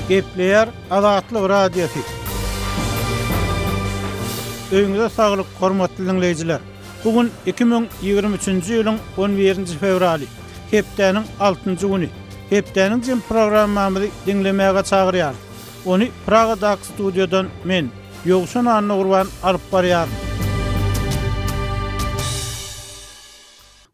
Gepleýär Azatlyk Radiosy. Öýüňize saglyk, hormatly diňleýjiler! Bu gün 2023-nji ýylyň on birinji fewraly, hepdäniň altynjy güni. Hepdäniň jem programmamyzy diňlemäge çagyrýarys. Ony Pragadaky studiýadan men, Ýowşan Annagurban alyp barýaryn.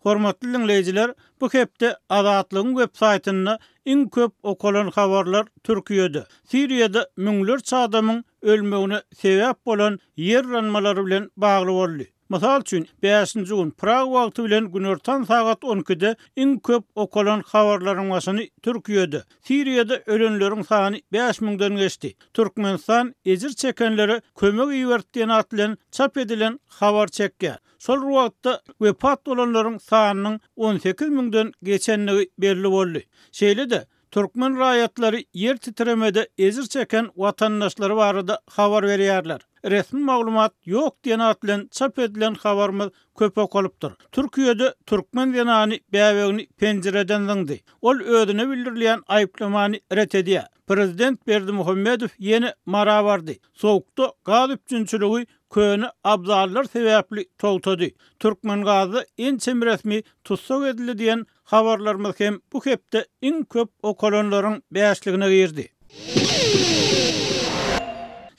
Hormatly diňleýjiler, bu hepde Azatlygyň web saýtynda iň köp okalan habarlar Türkiýede, Siriýada müňlerçe adamyň ölmegine sebäp bolan ýer yranmalary bilen bagly boldy. Mysal üçin, bäşinji gün Prag wagty bilen günortan sagat on ikide iň köp okalan habarlaryň başyny Türkiýede, Siriýada ölenleriň sany bäş müňden geçdi, Türkmenistan ejir çekenlere kömek iberdi diýen at bilen çap edilen habar çekýär. Şol bir wagtda, wepat bolanlaryň sanynyň 18 müňden geçendigi belli boldy. Şeýle-de, Türkmen raýatlary ýer titremede ejir çeken watandaşlary barada habar berýärler. Resmi maglumat ýok diýen at bilen çap edilen habarymyz köp okalypdyr. Türkiýede türkmen zenany bäbegini penjireden zyňdy. Ol özüne bildirilýän aýyplamany ret edýär. Prezident Berdimuhamedow ýene Mara bardy. Sowukda gaz üpjünçiligi köne abzallar sebäpli togtady. Türkmengazda ençeme resmi tussag edildi diýen Habarlarymyz hem bu hepde iň köp okalanlaryň bäşligine girdi.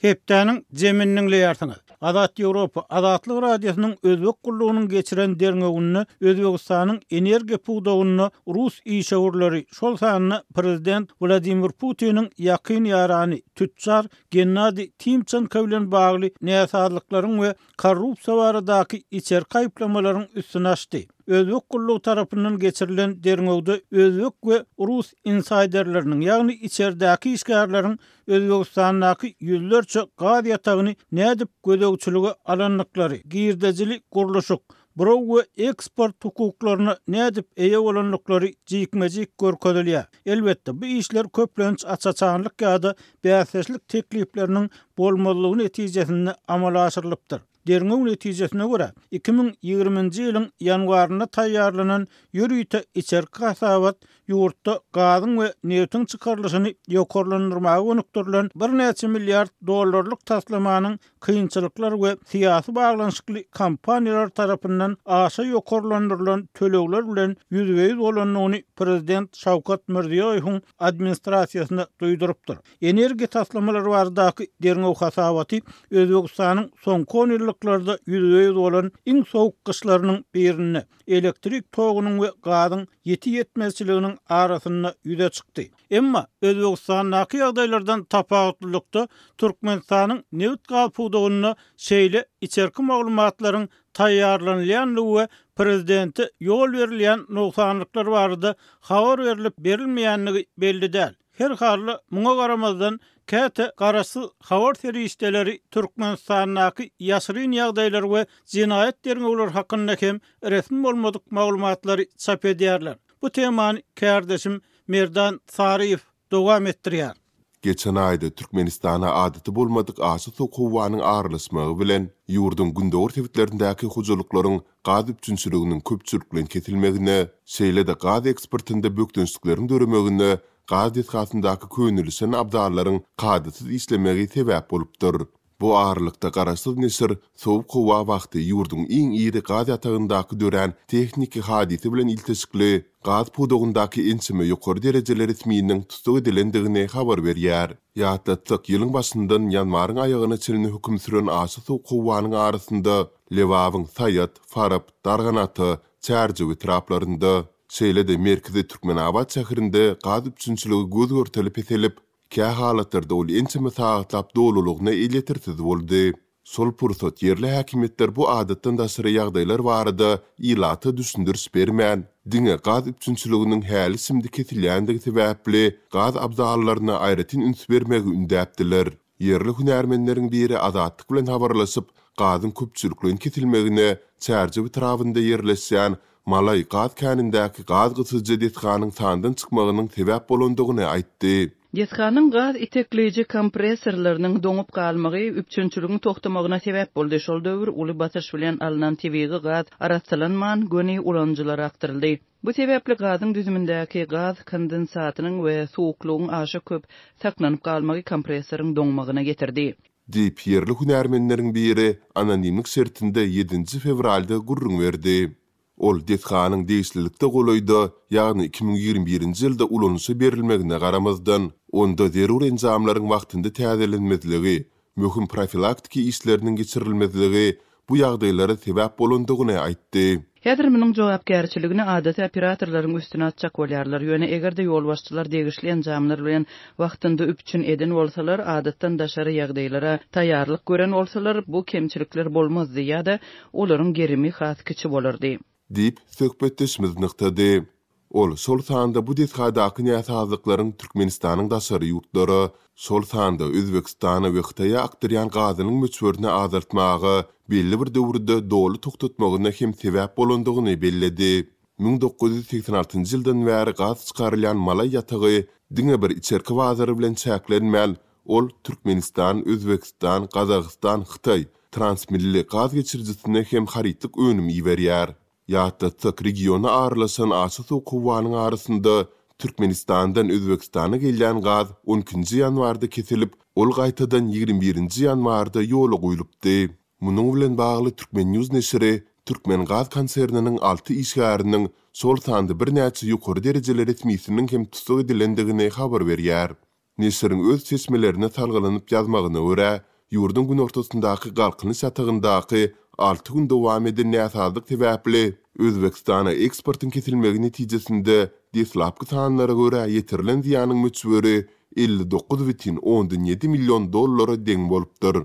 Hepdäniň jemini diňleýärsiňiz. Azat Ýewropa, Azatlyk Radiosynyň Özbek gullugynyň geçiren derňewinde Özbegistanyň energiýa pudagynda rus işewürleri, şol sanda prezident Wladimir Putiniň ýakyn ýarany, tütjar Gennadiý Timçenko bilen bagly näsazlyklaryň we korrupsiýa baradaky içerki aýyplamalaryň üstüni açdy. Özbek gullugy tarapyndan geçirilen derňewde özbek we rus insaýderleriniň, ýagny içerdäki işgärleriň Özbegistandaky ýüzlerçe gaz ýatagyny nädip gözegçilige alandyklary, girdejili gurluşyk, buraw we eksport hukuklaryna nädip eýe bolandyklary jikme-jik görkezilýär. Elbetde, bu işler köplenç aç-açanlyk ýa-da bäsdeşlik teklipleriniň bolmazlygy netijesinde amala aşyrylypdyr. Derňew netijesine görä, 2020-nji ýylyň ýanwarynda taýýarlanan ýörite içerki hasabat ýurtda gazyň we nebtiň çykarylyşyny ýokarlandyrmaga gönükdirilen birnäçe milliard dollarlyk taslamanyň kynçylyklar we syýasy baglanyşykly kompaniýalar tarapyndan aşa ýokarlandyrylan tölegler bilen ýüzbe-ýüz bolandygyny prezident Şawkat Mirziýoýewiň administrasiýasyna duýdurypdyr. Energiýa taslamalary baradaky derňew hasabaty Özbegistanyň soňky onýyllyklarda ýüzbe-ýüz bolan iň sowuk gyşlarynyň birinde elektrik togunyň we gazyň ýiti ýetmezçiliginiň arasynda ýüze çykdy. Emma Özbegistandaky ýagdaýlardan tapawutlylykda, Türkmenistanyň nebit-gaz pudagynda şeýle içerki maglumatlaryň taýýarlanylýandygy we prezidente ýol berilýän nogsanlyklar barada habar berlip-berilmeýändigi belli däl. Her halda, muňa garamazdan, käte garaşsyz habar serişdeleri Türkmenistandaky ýaşyryn ýagdaýlar we jenaýat derňewleri hakynda hem resmi bolmadyk maglumatlary çap edýärler. Bu temany kärdeşim Merdan Saryýew dowam etdirýär. Geçen aýda Türkmenistana adaty bolmadyk aşa sowuk howanyň aralaşmagy bilen, ýurduň gündogar sebitlerindäki hojalyklaryň gaz üpjünçiliginiň köpçülikleýin kesilmegine, şeýle-de gaz eksportynda bökdençlikleriň döremegine gaz desgasyndaky könelişen abzallaryň kadasyz işlemegi sebäp bolupdyr. Bu aralykda garaşsyz neşir sowuk howa wagty ýurduň iň iri gaz ýatagyndaky dörän tehniki hadysa bilen ilteşikli gaz pudagyndaky ençeme ýokary derejeli resminiň tussag edilendigini habar berýär. Ýatlatsak, ýylyň başyndan ýanwaryň aýagyna çenli höküm süren aşa sowuk howanyň arasynda Lebabyň Saýat, Farap, Darganata, Çärjew etraplarynda, şeýle-de merkezi Türkmenabat şäherinde gaz üpjünçiligi göz-görtele peselip, Kä halatlarda ol ençeme sagatlap dolulygyna elýetersiz boldy. Şol pursat ýerli häkimiýetler bu adatdan daşary ýagdaýlar barada ilata düşündiriş bermän, diňe gaz üpjünçiliginiň häli-şindi kesilýändigi sebäpli gaz abzallaryna aýratyn üns bermegi ündäpdiler. Ýerli hünärmenleriň biri Azatlyk bilen habarlaşyp, gazyň köpçülikleýin kesilmegine Çärjew etrabynda ýerleşýän Malaý gaz känindäki gaz gysyjy desganyň sandan çykmagynyň sebäp bolandygyny aýtdy. Desganyň gaz itekleýji kompressorlarynyň doňup galmagy üpjünçiligiň togtamagyna sebäp boldy. Şol döwür uly basyş bilen alnan tebigy gaz arassalanman, göni ulanyjylara akdyryldy. Bu sebäpli gazyň düzümindäki gaz kondensatynyň we suwuklygyň aşa köp saklanyp galmagy kompressoryň doňmagyna getirdi. Diýip, ýerli hünärmenleriň biri anonimlik şertinde ýedinji fewralda gürrüň berdi. Ol desganyň degişlilikde golaýda, ýagny 2021-nji ýylda ulanyşa berilmegine garamazdan, onda zerur enjamlaryň wagtynda täzelenmezligi, möhüm profilaktiki işleriniň geçirilmezligi bu ýagdaýlara sebäp bolandygyny aýtdy. Häzir munuň jogapkärçiligini adaty operatorlaryň üstüne atjak bolýarlar, ýöne eger-de ýolbaşçylar degişli enjamlar bilen wagtynda üpjün eden bolsalar, adatdan daşary ýagdaýlara taýýarlyk gören bolsalar, bu kemçilikler bolmazdy ýa-da olaryň gerimi has kiçi bolardy. Diýip, söhbetdeşimiz nygtady. Ol şol sanda bu desgadaky näsazlyklaryň Türkmenistanyň daşary ýurtlara, şol sanda Özbegistana we Hytaýa akdyrýan gazynyň möçberini azaltmaga, belli bir döwürde doly togtatmagyna hem sebäp bolandygyny belledi. 1986-njy ýyldan bäri gaz çykarylýan Malaý ýatagy diňe bir içerki bazar bilen çäklenmän, ol Türkmenistan, Özbegistan, Gazagystan, Hytaý transmilli gaz geçirijisine hem harytlyk önüm iberýär. Ýatlatsak, regiona aralaşan aşa sowuk howanyň arasynda Türkmenistandan Özbegistana gelýän gaz on ikinji ýanwarda kesilip, ol gaýtadan 21 nji ýanwarda ýola goýlupdy. Munuň bilen bagly Turkmen. News neşiri Türkmengaz konserniniň alty işgäriniň, şol sanda birnäçe ýokary derejeli resmisiniň hem tussag edilendigini habar berýär. Neşiriň öz çeşmelerine salgylanyp ýazmagyna görä, ýurduň günortasyndaky Galkynyş ýatagyndaky alty gün dowam eden näsazlyk sebäpli Özbegistana eksportyň kesilmegi netijesinde deslapky sanlara görä ýetirilen zyýanyň möçberi 59 bütin ondan ýedi million dollara deň bolupdyr.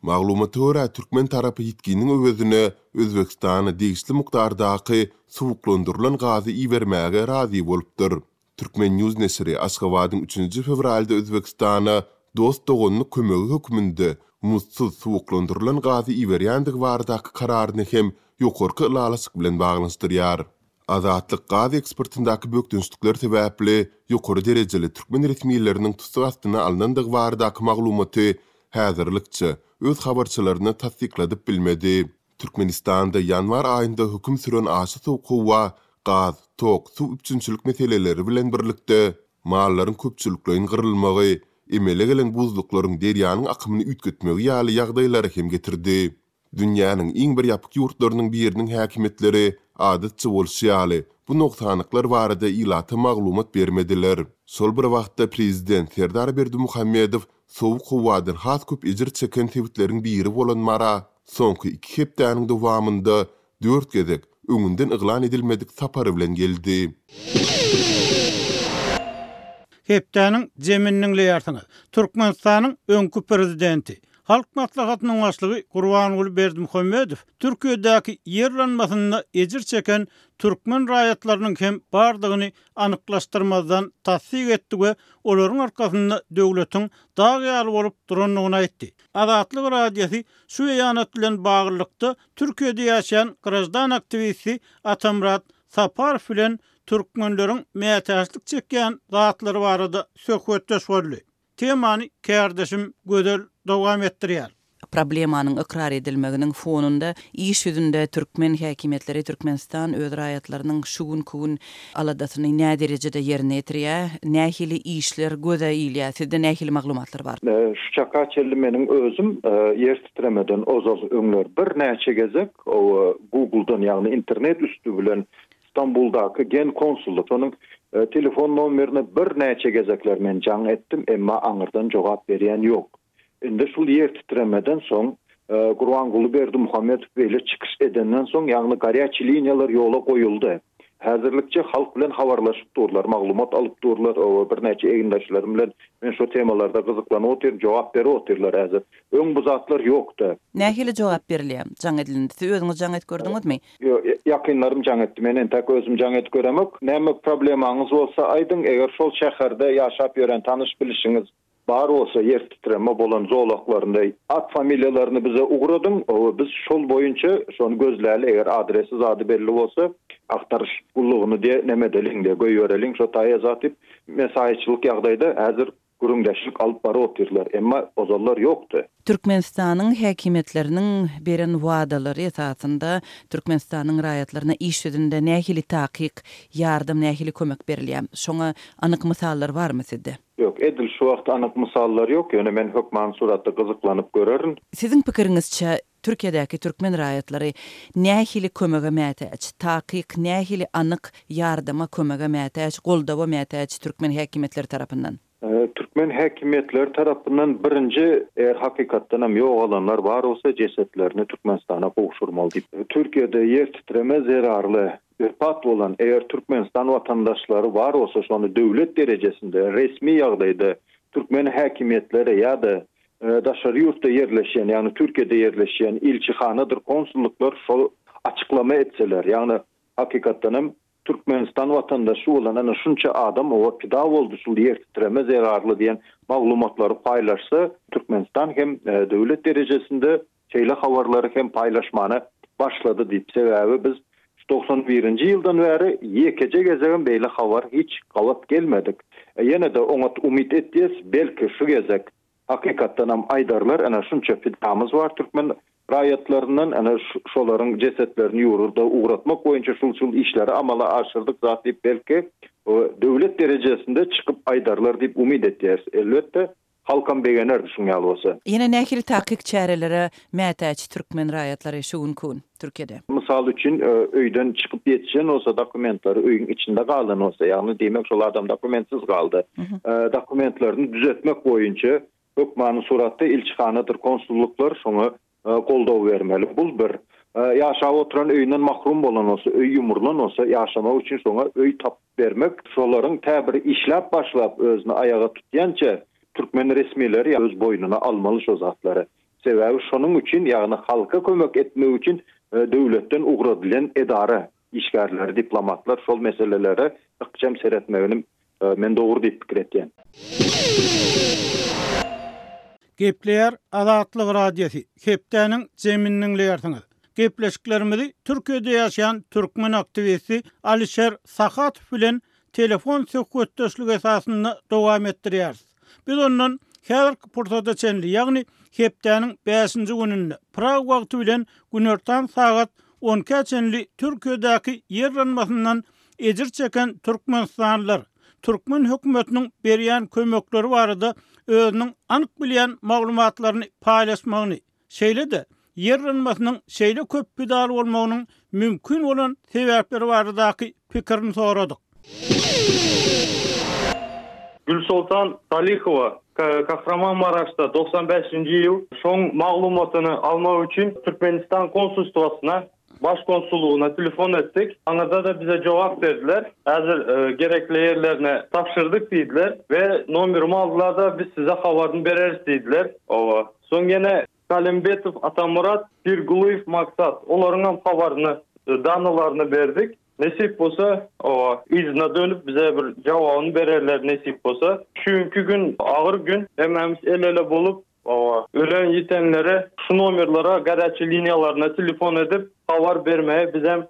Maglumata görä, türkmen tarapy ýitginiň öwezine Özbegistana degişli mukdardaky suwuklandyrylan gazy ibermäge razy bolupdyr. Turkmen. News neşiri Aşgabadyň üçünji fewralda Özbegistana dost-doganlyk kömegi hökmünde muzdsuz suwuklandyrylan gazy iberýändigi baradaky kararyny hem ýokarky ylalaşyk bilen baglanyşdyrýar. Azatlyk gaz eksportyndaky bökdençlikler sebäpli ýokary derejeli türkmen resmileriniň tussag astyna alnandygy baradaky maglumaty häzirlikçe öz habarçylaryna tassykladyp bilmedi. Türkmenistanda ýanwar aýynda höküm süren aşa sowuk howa gaz, tok, suw üpjünçilik meseleleri bilen birlikde, mallaryň köpçülikleýin gyrylmagy, emele gelen buzluklaryň derýanyň akymyny üýtgetmegi ýaly ýagdaýlara hem getirdi. Dünýäniň iň bir ýapyk ýurtlarynyň biriniň häkimiýetleri, adatça bolşy ýaly, bu nogsanlyklar barada ilata maglumat bermediler. Şol bir wagtda prezident Serdar Berdimuhamedow sowuk howadan has köp ejir çeken sebitleriň biri bolan Mara soňky iki hepdäniň dowamynda dört gezek öňünden yglan edilmedik sapary bilen geldi. Hepdäniň jemini diňleýärsiňiz. Türkmenistanyň öňki prezidenti, Halk Maslahatynyň Başlygy Gurbanguly Berdimuhamedow Türkiýedäki ýer yranmasynda ejir çeken türkmen raýatlarynyň hem bardygyny anyklaşdyrmazdan tassyk etdi we olaryň arkasynda döwletiň dag ýaly bolup durandygyny aýtdy. Azatlyk Radiosy şu beýanat bilen baglylykda Türkiýede ýaşaýan graždan aktiwisti Atamyrat Saparow bilen türkmenleriň mätäçlik çekýän zatlary barada söhbetdeş boldy. Temany kärdeşim Gözel dowam etdirýär. Problemanyň ykrar edilmeginiň fonunda iş ýüzünde türkmen häkimiýetleri, Türkmenistan öz raýatlarynyň şu günki gün aladasyny näderejede ýerine ýetirýär, nähili işler göze ilýär, sizde nähili maglumatlar bar? Şu çaka çenli meniň özüm ýer titremeden ozal öňler birnäçe gezek Google-dan ýagny internet üsti bilen Stambuldaky Genkonsullyk, şonuň telefon nomerine birnäçe gezekler men jaň etdim, emma aňyrdan jogap berýän ýok. Indi şul ýer titremeden soň, Gurbanguly Berdimuhamedow beýle çykyş edenden soň, ýagny garýaçi liniýalar ýola goýuldy. Häzirlikçe halk bilen habarlaşyp durlar, maglumat alyp durlar, birnäçe egindeşlerim bilen men şo temalarda gyzyklanyp otyryn, jogap berip otyrlar häzir. Öň bu zatlar ýokdy. Nähili jogap berilýär jaň edilende? Siz özüňiz jaň edip gördüňizmi? Ýok, ýakynlarym jaň etdi. Men entäk özüm jaň edip göremok. Näme problemaňyz bolsa aýdyň, eger şol şäherde ýaşap ýören tanyş-bilişiňiz bar bolsa, ýer titreme bolan zolaklarynda at-familiýalaryny bize ugradyň, biz şol boýunça şony gözläli, eger adresi zady belli bolsa, agtaryş gullugyny diýe neme edeliň diýe, goýbereliň şo taýa zat diýip, mesaýyçylyk ýagdaýda häzir. gürrüňdeşlik alyp baryp otyrlar. Emma ozallar ýokdy. Türkmenistanyň häkimiýetleriniň beren wadalary esasynda Türkmenistanyň raýatlaryna iş ýüzünde nähili takyk ýardam, nähili kömek berilýär? Şoňa anyk mysallar barmy sizde? Ýok, edil şu wagt anyk mysallar ýok, ýöne men hökmany suratda gyzyklanyp görerin. Siziň pikiriňizçe, Türkiýedäki türkmen raýatlary nähili kömege mätäç? Takyk nähili anyk ýardama, kömege mätäç, goldawa mätäç türkmen häkimiýetleri tarapyndan? Türkmen häkimiýetleri tarapyndan birinji, eger hakykatdan hem ýogalanlar bar bolsa, jesetlerini Türkmenistana gowşurmaly diýip. Türkiýede ýer titreme zerarly wepat bolan, eger Türkmenistan watandaşlary bar bolsa, şony döwlet derejesinde, resmi ýagdaýda türkmen häkimiýetleri ýa-da daşary ýurtda ýerleşýän, ýagny Türkiýede ýerleşýän ilçihanadyr konsullyklar şol açyklama etseler, ýagny hakykatdan hem Türkmenistan watandaşy bolan ana şunça adam oba pida boldy şul ýer titreme zerarly diýen maglumatlary paýlaşsa, Türkmenistan hem döwlet derejesinde şeýle habarlary hem paýlaşmana başlady diýip, sebäbi biz şu 91-nji ýyldan bäri ýekeje gezegem beýle habar hiç gabat gelmedik. Ýene-de oňat umyt etýäs, belki şu gezek Hakykatdanam aýdarlar, ene şunça pidamyz bar türkmen raýatlaryndan, ene şolaryň jesetlerini ýurda ugratmak boýunça şul-şul işleri amala aşyrdyk zat diýip belki döwlet derejesinde çykyp aýdarlar diýip umyt etýäris. Elbetde, halkam begenerdi şuň ýaly bolsa. Ýene nähili takyk çärelere mätäç türkmen raýatlary şu günki gün Türkiýede? Mysal üçin, öýden çykyp ýetişen bolsa dokumentleri öýüň içinde galan bolsa, ýagny diýmek şol adam dokumentsiz galdy. Dokumentlerini düzetmek boýunça hökmany suratda ilçihanadyr konsullyklar şoňa goldaw bermeli. Bul bir. Ýaşap oturan öýünden mahrum bolan bolsa, öý ýumrulan bolsa, ýaşamak üçin şoňa öý tapyp bermek, şolaryň tä bir işläp başlap özüni aýaga tutýança türkmen resmileri öz boýnuna almaly şo zatlary. Sebäbi şonuň üçin, ýagny halka kömek etmek üçin döwletden ugradylýan edara işgärleri, diplomatlar şol meselelere ykjam seretmegini men dogry diýip pikir etýän. Gepleýär Azatlyk Radiosy, hepdäniň jemini diňleýärsiňiz. Gepleşiklerimizi Türkiýede ýaşaýan türkmen aktiwisti Alişer Sahatow bilen telefon söhbetdeşligi esasynda dowam etdirýäris. Biz ondan häzirki pursata çenli, ýagny hepdäniň bäşinji gününde, Prag wagty bilen günortan sagat on ikä çenli Türkiýedäki ýer yranmasyndan ejir çeken türkmenistanlylar, türkmen hökümetiniň berýän kömekleri barada özüniň anyk bilýän maglumatlaryny paýlaşmagyny, Şeýle-de, ýer yranmasynyň şeýle köp pidaly bolmagynyň mümkin bolan sebäpleri baradaky pikirini soradyk. Gülsoltan Salyhowa, Kahramanmaraşda 95-nji ýyl şoň maglumatyny almak üçin Türkmenistan konsulstwasyna, Baş konsullygyna telefon etdik. Aňyrda-da bize jogap berdiler. Häzir gerekli ýerlerine tabşyrdyk diýdiler we nomerimi aldylar-da biz size habaryny bereris diýdiler. Oba. Soň ýene Kalimbetow Atamyrat, Pirgulyýew Maksat olaryňam habaryny, danylaryny berdik. Nesip bolsa, oba, yzyna dönüp bize bir jogabyny bererler nesip bolsa. Şu günki gün agyr gün. Hemmämiz el-ele bolup, oba, ölen-ýitenlere şu nomerlere, garýaçy liniýalaryna telefon edip habar bermegi bizem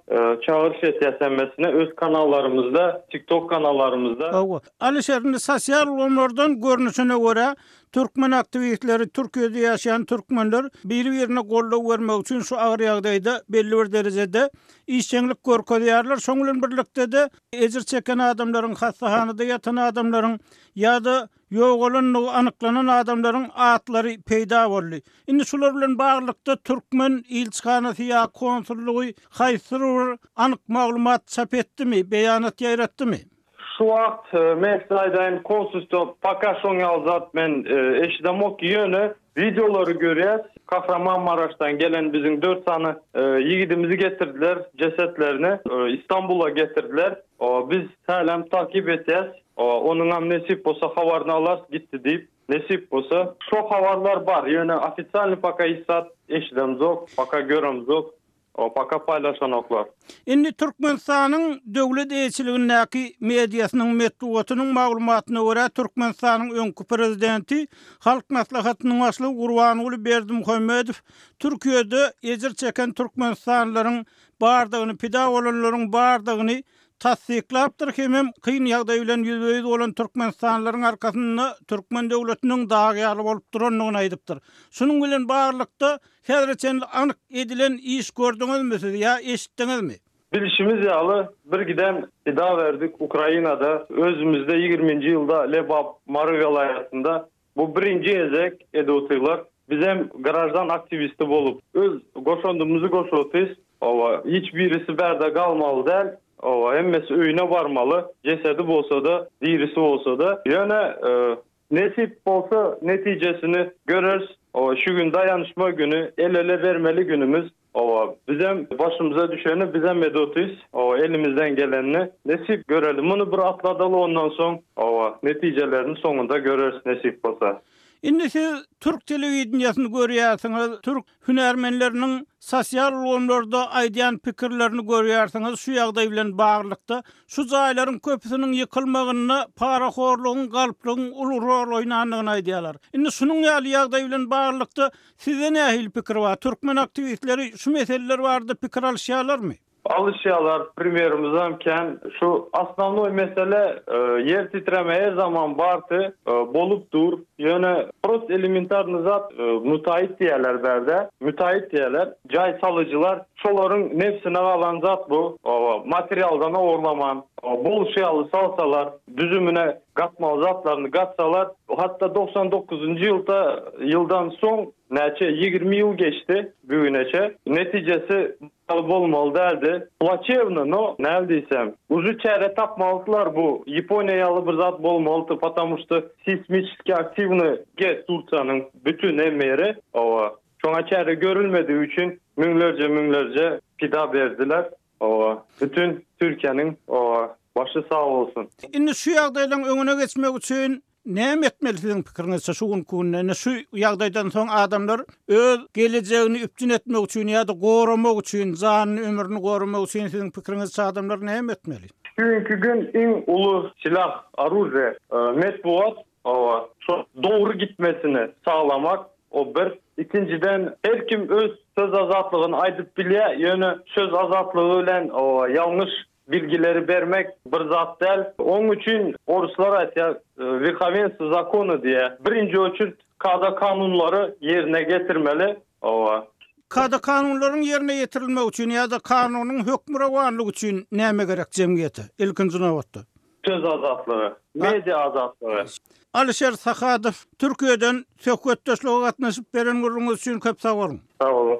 çagyryş etýäs hemmesine öz kanallarymyzda, TikTok kanallarymyzda. Hawa, Alyşer indi sosial ulgamlardan görnüşine görä, Türkmen aktiwistleri, Türkiýede ýaşaýan türkmenler biri-birine goldaw bermek üçin şu agyr ýagdaýda belli bir derejede işjeňlik görkezýärler. Şoň bilen birlikde-de ejir çeken adamlaryň, hassahanada ýatan adamlaryň ýa-da ýogalandygy anyklanan adamlaryň atlary peýda boldy. Indi şular bilen baglylykda türkmen ilçihanasy ýa konsullygy haýsydyr bir anyk maglumat çap etdimi, beýanat ýaýratdymy? Şu wagt men size aýdaýyn konsulstwa poka şoň ýaly zat men eşidemok ýöne wideolary görýäs Kahramanmaraşdan gelen biziň dört sany ýigidimizi getirdiler jesetlerini Istanbula getirdiler biz hälem takyp etýäs onuňam nesip bolsa habaryny alarys gitdi diýip nesip bolsa. Şo habarlar bar ýöne ofitsialnyý poka hiç zat eşidemzok poka göremzok O paka paýlaşanoklar. Indi Türkmenistanyň döwlet eýeçiligindäki mediasynyň metbugatynyň maglumatyna görä, Türkmenistanyň öňki prezidenti, Halk Maslahatynyň başlygy Gurbanguly Berdimuhamedow Türkiýede ejir çeken türkmenistanlylaryň bardygyny, pida bolanlaryň bardygyny tassyklapdyr hemem kyn ýagdaý bilen ýüzbe-ýüz bolan türkmenistanlylaryň arkasynda türkmen döwletiniň dag ýaly bolup durandygyny aýdypdyr. Şunuň bilen baglylykda, häzire çenli anyk edilen iş gördüňizmi siz ýa eşitdiňizmi? Bilşimiz ýaly, bir giden pida berdik Ukrainada, özümizde ýigriminji ýylda Lebap, Mary welaýatynda Bu birinji gezek edip otyrlar. Bizem graždan aktiwisti bolup, öz goşandymyzy goşup otyrys. Hawa, hiç birisi bärde galmaly däl. Hawa, hemmesi öýüne barmaly. Jesedi bolsa-da, dirisi bolsa-da. Ýöne, nesip bolsa, netijesini göreris. Hawa, şu gün daýanyşma güni, el-ele bermeli günümiz. Hawa, bizem başymyza düşeni bizem edip otyrys. Hawa, elimizden gelenini. Nesip göreli. Muny bir atladaly ondan soň, hawa, netijelerini soňunda göreris nesip bolsa. Indi siz türk telewideniýesini görýärsiňiz, türk hünärmenleriniň sosial ulgamlarda aýdýan pikirlerini görýärsiňiz şu ýagdaý bilen baglylykda şu jaýlaryň köpüsiniň ýykylmagynda parahorlugyň, galplygyň uly rol oýnandygyny aýdýarlar. Indi şunuň ýaly ýagdaý bilen baglylykda Sizde nähili pikir bar? Türkmen aktiwistleri şu meseleler barada pikir alyşýarlarmy? Alyşýarlar, premýerimizem kän. Şu osnownoý mesele ýer titreme her zaman bardy, bolup dur. Ýöne prost elementarnyý zat mütaýit diýýärler bärde. Mütaýit diýýärler. Jaý salyjylar şolaryň nebsine galan zat bu. Materialdan ogurlaman, bolşy ýaly salsalar, düzümine Gatmaly zatlaryny gatsalar, hatda 99-njy ýylda ýyldan soň näçe 20 ýyl geçdi bugüneçe. Netijesi ýaly bolmaly däldi. Plaçewno, no, näl diýsem, uje çäre tapmalydylar bu Ýaponiýa ýaly bir zat bolmalydy, потому что seýsmiçeski aktiwny ge Tursiýanyň bütin hemme ýeri, hawa. Şoňa çäre görülmedigi üçin müňlerce müňlerce pida berdiler. Hawa, bütin Türkiýäniň hawa, başy sag bolsun. Indi şu ýagdaýlaryň öňüne geçmek üçin näme etmeli siziň pikiriňizçe şu günki günde? Indi şu ýagdaýdan soň adamlar öz gelejegini üpjün etmek üçin ýa-da goramak üçin, janyny, ömrüni goramak üçin siziň pikiriňizçe adamlar näme etmeli? Şu günki gün iň uly silah, oružie, metbugat, hawa, şo dogry gitmesini saglamak, O bir. Ikinjiden, her kim öz söz azatlygyny aýdyp bilýär, ýöne söz azatlygy bilen ýalňyş bilgileri bermek bir zat däl. Oň üçin oruslar aýtýar, werhowenstwo zakona diýýär. Birinji oçurt kada-kanunlary ýerine getirmeli. Hawa. Kada-kanunlaryň ýerine ýetirilmegi üçin ýa-da kanunyň hökmürowanlygy üçin näme gerek jemgyýete, ilkinji nobatda? Söz azatlygy, media azatlygy. Alişer Sahadow Türkiýeden söhbetdeşlige gatnaşyp beren gürrüňiz üçin köp sag boluň. Sag boluň.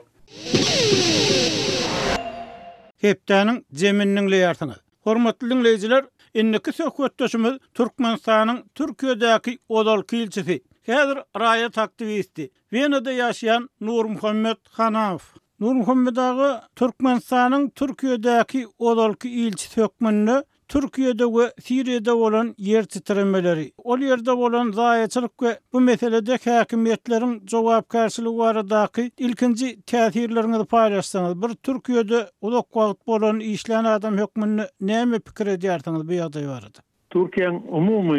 Hepdäniň jemini diňleýärsiňiz. Hormatly diňleýjiler, indiki söhbetdeşimiz Türkmenistanyň Türkiýedäki ozalky ilçisi, häzir raýat aktiwisti, Wenada ýaşaýan Nurmuhammet Hanamow. Nurmuhammet aga, Türkmenistanyň Türkiýedäki ozalky ilçisi hökmünde Türkiýede we Siriýada bolan ýer titremeleri, ol ýerde bolan zaýaçylyk we bu meselede häkimiýetleriň jogapkärçiligi baradaky ilkinji täsirleriňizi paýlaşsaňyz, bir Türkiýede uzak wagt bolan, işlän adam hökmünde näme pikir edýärsiňiz bu ýagdaý barada? Türkiýäň umumy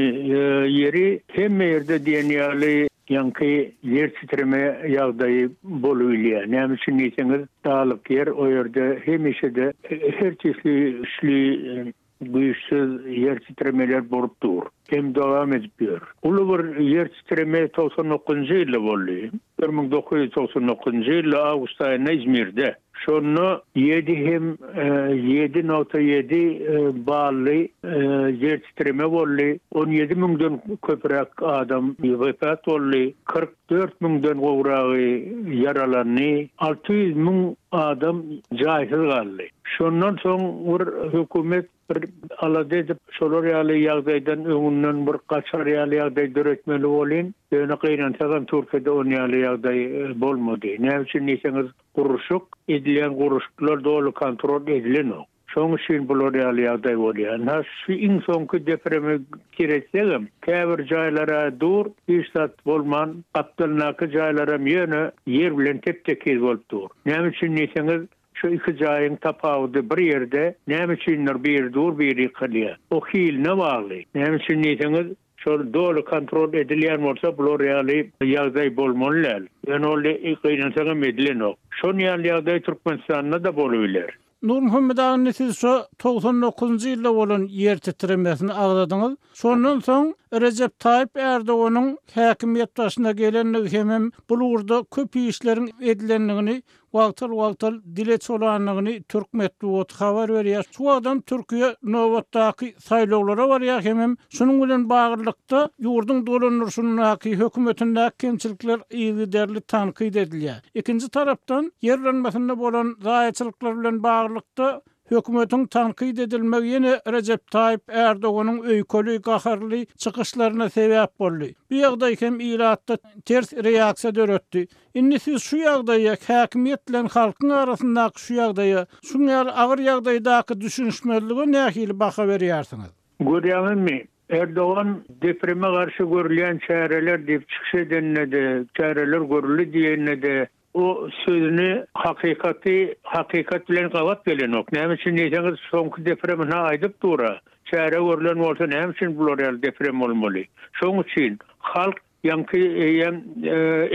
ýeri hemme ýerde diýen ýaly ýaňky ýer titreme ýagdaýy bolubilýär. Näme üçin diýseňiz, daglyk ýer o ýerde hemişe-de her tüýsli güýçli, güýçsüz ýer titremeler bolup dur. Hem dowam edip ýör. Uly bir ýer titreme 99-njy ýylda boldy. 1999-njy ýylda awgust aýynda Izmirde. Şonda ýedi hem 7.7 bally ýer titreme boldy. 17 müňden köpräk adam wepat boldy, 44 müňden gowragy ýaralandy, 600 müň adam jaýsyz galdy. Şondan soň bir hökümet Bir alada edip, şolar ýaly ýagdaýdan öňünden bir gaçar ýaly ýagdaý döretmeli bolyn. Ýöne gynansagam Türkiýede on ýaly ýagdaý bolmady. Näme üçin diýseňiz, gurluşyk, edilýän gurluşyklar doly kontrol edilenok. Şoň üçin bular ýaly ýagdaý bolýar. Ynha şu iň soňky depreme seretsegem, käbir jaýlar-a dur, hiç zat bolman, gapdalyndaky jaýlaram ýöne ýer bilen tep-tekiz bolup dur. Näme üçin diýseňiz, Şu iki jaýyň tapawudy bir ýerde näme üçindir biri dur biri ýykylýar. O hiline bagly. Näme üçin diýseňiz şol doly kontrol edilýän bolsa bular ýaly ýagdaý bolmaly däl. Ýöne ol gynansagam edilenok. Şon ýaly ýagdaý Türkmenistanda-da bolubiler. Nurmuhammet aga indi siz şo 99-njy ýylda bolan ýer titremesini agzadyňyz. Şondan soň Rejep Taýyp Ärdoganyň häkimiýet başyna gelendigi hemem bul ugurda köp işleriň edilendigini wagtal-wagtal dile çolandygyny türk metbugaty habar berýär. Şu wagtam Türkiýe nobatdaky saýlawlara barýar hemem şunuň bilen baglylykda ýurduň dolandyryşyndaky, hökümetindäki kemçilikler yzygiderli tankyt edilýär. Ikinji tarapdan, ýer yranmasynda bolan zaýaçylyklar bilen baglylykda Hökümetiň tankyt edilmegi ýene Rejep Taýyp Ärdoganyň öýkeli, gaharly çykyşlaryna sebäp boldy. Bu ýagdaý hem ilatda ters reaksiýa döretdi. Indi siz şu ýagdaýa, häkimiýet bilen halkyň arasyndaky şu ýagdaýa, şuň ýaly agyr ýagdaýdaky düşünişmezlige nähili baha berýärsiňiz? Görýäňizmi, Erdogan depreme garşy görülýän çäreler diýip çykyş edende-de, çäreler görüldi diýende-de, O sözüni hakykaty hakykat bilen gabat gelenok. Näme üçin diýseňiz soňky deprem ynha aýdyp dura. Çäre görlen bolsa näme üçin bular ýaly deprem bolmaly. Şoň üçin halk ýaňky eýýäm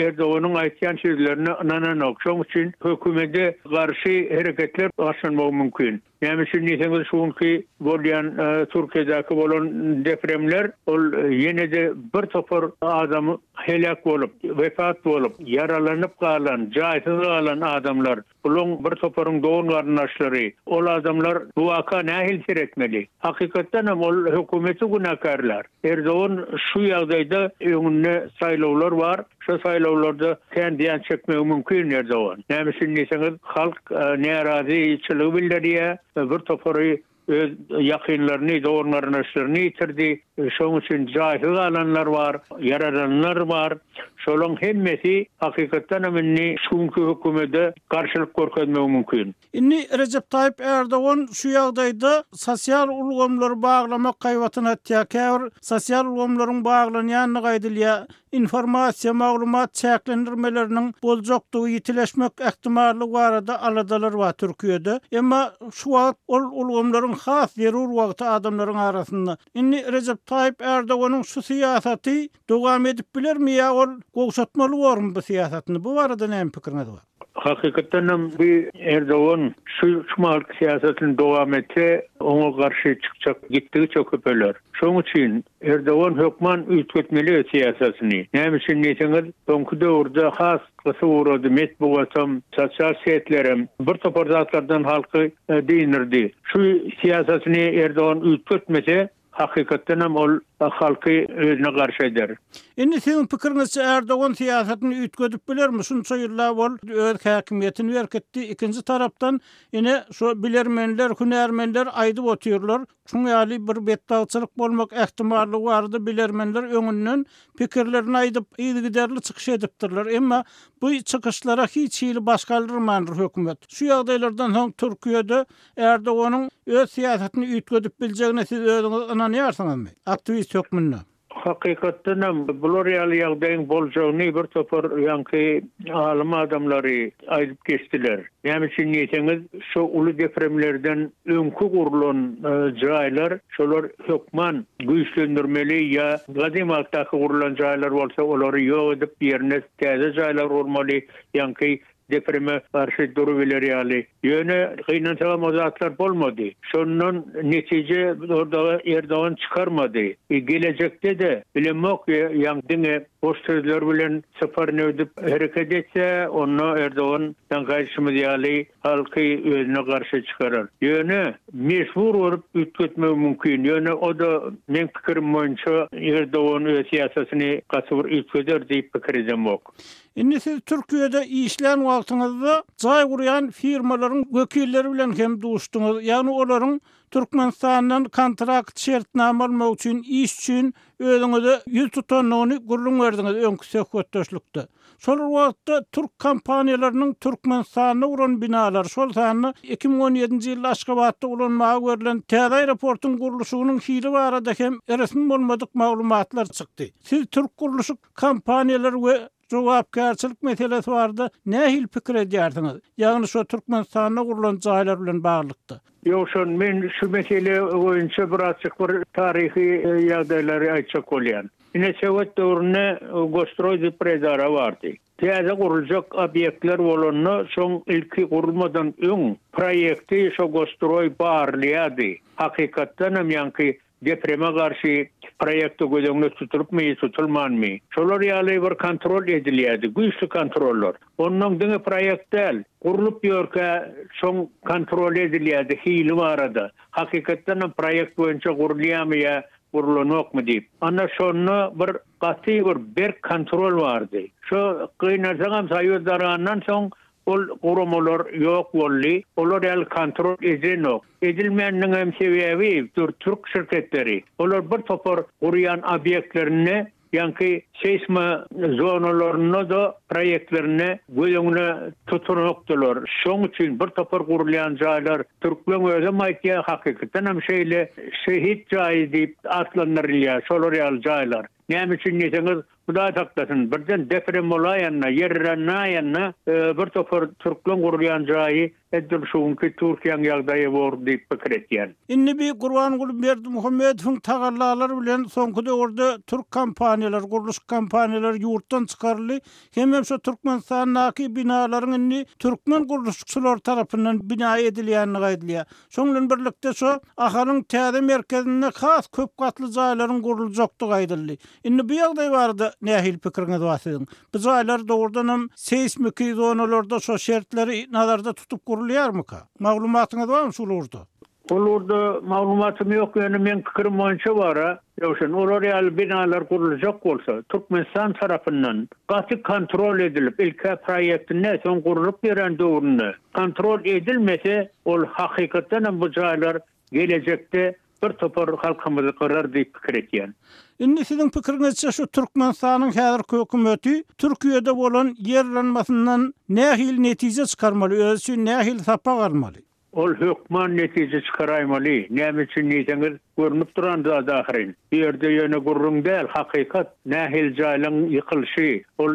Erdoganyň aýtýan sözlerine ynananok. Şoň üçin hökümede garşy hereketler başlanmagy mümkin. Näme üçin diýseňiz, şu günki bolýan Türkiýedäki bolan depremler ol ýene-de bir topar adam heläk bolup, wepat bolup, ýaralanyp galan, jaýsyz galan adamlar, bulaň bir toparyň dogan-garyndaşlary, ol adamlar bu waka nähili seretmeli? Hakykatdan hem ol hökümeti günäkärlär. Erdogan şu ýagdaýda öňünde saýlawlar bar, Şo saýlawlarda kän zyýan çekmegi mümkin Erdogan. Näme üçin diýseňiz, halk närazyçylygy bildirýär, bir topary öz ýakynlaryny, dogan-garyndaşlaryny ýitirdi. Şonuň üçin jaýsyz galanlar bar, ýaralananlar bar. Şolaryň hemmesi hakykatdan hem indi şu günki hökümede garşylyk görkezmegi mümkin. Indi Rejep Taýyp Ärdogan şu ýagdaýda sosial ulgamlary baglamak haýbatyny atýar. Käbir sosial ulgamlaryň baglanýandygy aýdylýar. Informasiýa, maglumat çäklendirmeleriniň boljakdygy, ýitileşmek ähtimallygy barada aladalar bar Türkiýede. Emma şu wagt ol ulgamlaryň has zerur wagty adamlaryň arasynda. Indi Rejep Taýyp Ärdoganyň şu syýasaty dowam edip bilermi ýa ol gowşatmaly bormy bu syýasatyny? Bu barada näme pikiriňiz bar? Hakykatdan hem bu Erdogan şu şu mahalky syýasatyny dowam etse, oňa garşy çykjak gitdigiçe köpeler. Şonuň üçin Erdogan hökman üýtgetmeli öz syýasatyny. Näme üçin diýseňiz, soňky döwürde has gysyp ugrady, metbugatam, sosial setlerem bir topar zatlardan halky dynyrdy. Şu syýasatyny Erdogan üýtgetmese, Hakykatdan hem ol halky özüne garşy eder. Indi siziň pikiriňizçe Erdogan syýasatyny üýtgedip bilermi? Şunça ýyllap ol öz häkimiýetini berkitdi. Ikinji tarapdan ine şo bilermenler, hünärmenler aýdyp otyrlar. Şuň ýaly bir betbagtçylyk bolmak ähtimallygy barada bilermenler öňünden pikirlerini aýdyp, yzygiderli çykyş edipdirler. Emma bu çykyşlara hiç hili baş galdyrmandyr hökümet. Şu ýagdaýlardan soň Türkiýede Erdoganyň öz syýasatyny üýtgedip biljegine siz özüňiz ynanýarsyňyzmy, aktiwist hökmünde? Hakykatdan hem bular ýaly ýagdaýyň boljagyny bir topar ýaňky alym adamlary aýdyp geçdiler. Näme üçin diýseňiz, şo uly depremlerden öňki gurlan jaýlar şolar hökman güýçlendirmeli ýa gadym wagtdaky gurlan jaýlar bolsa olary ýok edip ýerine täze jaýlar gurmaly, ýaňky depreme garşy durubiler ýaly. Ýöne gynansagam o zatlar bolmady. Şondan netije Erdogan çykarmady. Gelejekde-de bilemok ýaň diňe boş sözler bilen syparyny ödüp hereket etse, onda Erdogan ýaňky aýdyşymyz ýaly halky özüne garşy çykarar. Ýöne mejbur bolup üýtgetmegi mümkin. Ýöne o-da meň pikirim boýunça Erdogan öz syýasatyny gaty bir üýtgeder diýip pikir edemok. Indi siz Türkiýede işlän wagtyňyzda jaý gurýan firmalaryň wekilleri bilen hem duşduňyz, ýagny olaryň Türkmenistandan kontrakt, şertnama almak üçin, iş üçin özüňize ýüz tutandygyny gürrüň berdiňiz öňki söhbetdeşlikde. Şol bir wagtda türk kompaniýalarynyň Türkmenistanda guran binalary, şol sanda 2017-nji ýylda Aşgabatda ulanmaga berlen täze aeroportuň gurluşygynyň hili barada hem resmi bolmadyk maglumatlar çykdy. Siz türk gurluşyk Kompaniýalar we jogapkärçilik meselesi barada nähili pikir edýärsiňiz? Ýagny şo Türkmenistanda gurlan jaýlar bilen baglylykda. Ýowşan, men şu mesele boýunça birazjyk bir taryhy ýagdaýlary aýtjak bolýan. Ine, sowet döwründe Gosstroý diýip bir edara bardy. Täze guruljak obýektler bolanda şoň ilki gurulmadan öň proýekti şo Gosstroý barlaýardy. Hakykatdanam ýaňky depreme garşy proýektde göz öňünde tutulypmy, tutulmanmy? Şolar ýaly bir kontrol edilýärdi, güýçli kontrollar. Onnoň diňe proýekt däl, gurlup ýörkä şoň kontroly edilýärdi hili barada. Hakykatdanam proýekt boýunça gurulýarmy ýa Gurlanokmy diýip. Ana şonda bir gaty bir berk kontrol bardy. Şo gynansaňam Soýuz dargandan soň ol guramalar ýok boldy. Olar ýaly kontrol edilenok. Edilmäniniňem sebäbi türk şirketleri. Olar bir topar gurýan obýektlerinde Ýaňky seýsmo zonalarynda-da proýektlerinde göz öňüne tutanokdylar. Şoň üçin bir topar gurulýan jaýlar, türkleň özem aýtýar, hakykatdanam şeýle şehit jaýy diýip atlandyrylýar şolar ýaly jaýlar. Näme üçin diýseňiz, Hudaý saklasyn, birden deprem bolaýanda, ýer yrannaýanda bir topar türkleň gurulýan jaýy Edil şu günki Türkiýäň ýagdaýy bor diýip pikir etýän. Indi bi Gurbanguly Berdimuhamedowyň tagallalary bilen soňky döwürde türk kompaniýalary, gurluşyk kompaniýalary ýurtdan çykaryldy. Hemem şo Türkmenistandaky binalaryň indi türkmen gurluşykçylary tarapyndan bina edilýändigi aýdylýar. Şoň bilen birlikde şo Ahalyň täze merkezinde has köp gatly jaýlaryň guruljakdygy aýdyldy. Indi bu ýagdaý barada nähili pikiriňiz bar siziň? Bu jaýlar dogrudanam seýsmiki zonalarda şo şertleri nazarda tutup gurulýarmyka? Maglumatyňyz barmy şul ugurda? Ol ugurda maglumatym ýok, ýöne meň pikirim boýunça bara, Röwşen, olar ýaly binalar guruljak bolsa, Türkmenistan tarapyndan gaty kontrol edilip, ilk-ä proýektinde, soň gurlup ýören döwründe kontrol edilmese, ol hakykatdanam bu jaýlar Gelejekde bir topar halkymyzy gyrar diýip pikir etýän. Indi siziň pikiriňizçe şu Türkmenistanyň häzirki hökümeti Türkiýede bolan ýer yranmasyndan nähili netije çykarmaly, özi üçin nähili sapak almaly? Ol hökman netije çykaraýmaly. Näme üçin diýseňiz, görnüp duran zat ahyryn. Bu ýerde ýöne gürrüň däl, hakykat. Nähili jaýlaň ýykylyşy, ol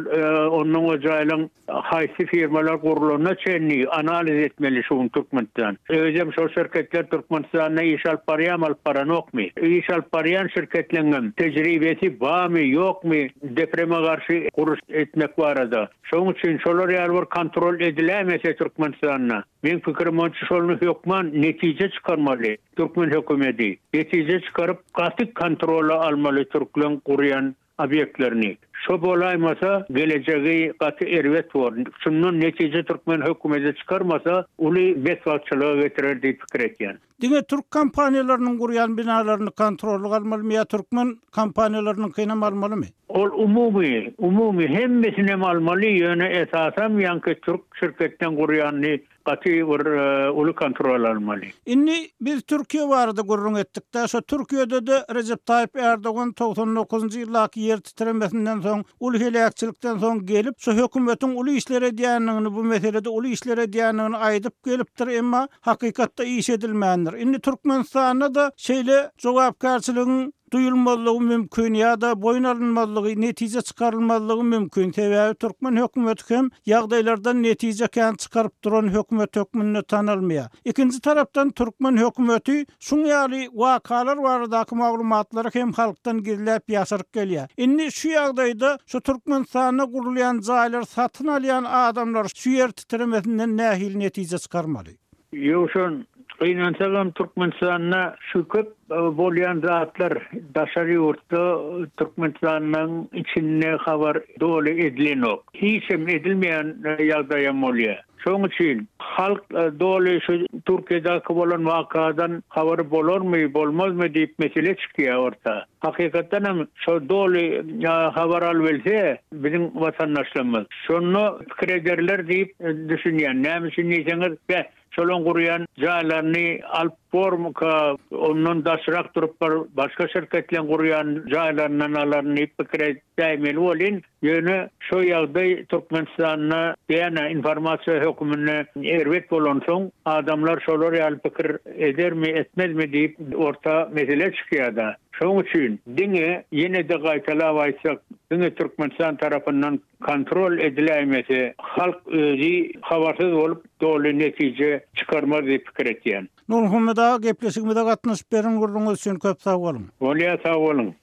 onnoň o jaýlaň Haýsy firmalar gurlanyna çenli analiz etmeli şu gün Türkmenistan. Özem şol şirketler Türkmenistanda iş alyp barýamy alyp baranokmy? Iş alyp barýan şirketleňem tejribesi bamy ýokmy depreme garşy guruş etmek barada. Şoň üçin şolar ýaly bir kontrol ediläýmese Türkmenistanda. Meň pikirim boýunça şony hökman netije çykarmaly türkmen hökümedi. Netije çykaryp gaty kontrola almaly türkleň gurýan obýektlerini. Şo bolaýmasa gelejegi gaty erbet bor. Şundan netije türkmen hökümedi çykarmasa uly betbagtçylyga getirer diýip pikir etýän. Diňe türk kompaniýalarynyň gurýan binalaryny kontrollyk almalymy ýa türkmen kompaniýalarynyňkynam almalymy? Ol umumy, umumy hemmesinem almaly ýöne esasam ýaňky türk şirketden gurýanyny Gaty bir uly kontrol almaly. Indi biz Türkiýe barada gürrüň etdikdä, şo Türkiýede-de Rejep Taýyp Ärdogan 99-njy ýyldaky ýer titremesinden soň, uly heläkçilikden soň gelip, şo hökümetiň uly işler edýändigini, bu meselede uly işler edýändigini aýdyp gelipdir, emma hakykatda iş edilmändir. Indi Türkmenistanda-da şeýle jogapkärçiligiň duýulmazlygy mümkin ýa-da boýun alynmazlygy, netije çykarylmazlygy mümkin. Sebäbi türkmen hökümeti hem ýagdaýlardan netije kän çykaryp duran hökümet hökmünde tanalmaýar. Ikinji tarapdan türkmen hökümeti şuň ýaly wakalar baradaky maglumatlary hem halkdan gizläp ýaşyryp gelýär. Indi şu ýagdaýda şu Türkmenistanda gurulýan jaýlary satyn alýan adamlar şu ýer titremesinden nähili netije çykarmaly? Ýowşan, gynansagam Türkmenistanda şu köp bolýan zatlar daşary ýurtda Türkmenistanyň içinde habar doly edilenok. Hiçem edilmeýän ýagdaýam bolýar. Şoň üçin halk doly şu Türkiýedäki bolan wakadan habary bolarmy, bolmazmy diýip mesele çykýar orta. Hakykatdan hem şo doly habar alybilse biziň watandaşlarymyz şonda pikir ederler diýip düşünýän. Näme üçin diýseňiz, beh, şolaň gurýan jaýlaryny alyp bormyka, ondan daşrak durup bir başga şirketleň gurýan jaýlaryndan alaryn diýip pikir edäýmeli welin, Ýöne şo ýagdaý Türkmenistanda diýýän-ä informasiýa höküminde erbet bolansoň, adamlar şolar ýaly pikir edermi, etmezmi diýip orta mesele çykýar-da. Şoň üçin diňe, ýene-de gaýtalap aýtsak, diňe Türkmenistan tarapyndan kontrol ediläýmese, halk özi habarsyz bolup doly netije çykarmaz diýip pikir etýän. Nurmuhammet aga gepleşigimize gatnaşyp beren gürrüňiz üçin köp sag boluň. Bolýar sag boluň.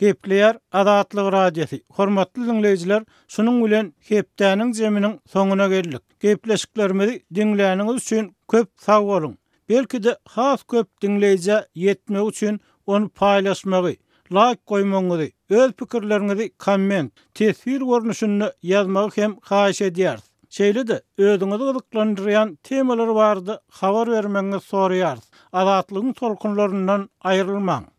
Gepleýär Azatlyk Radiosy, Hormatly diňleýjiler, şunuň bilen hepdäniň jeminiň soňuna geldik. Gepleşiklerimizi diňläniňiz üçin köp sag boluň! Belki-de has köp diňleýjä ýetmegi üçin ony paýlaşmagy, laýk goýmagyňyzy, öz pikirleriňizi komment, teswir görnüşinde ýazmagy hem haýyş edýäris. Şeýle-de özüňizi gyzyklandyrýan temalar barada habar bermegiňizi soraýarys. Azatlygyň tolkunlaryndan aýrylmaň!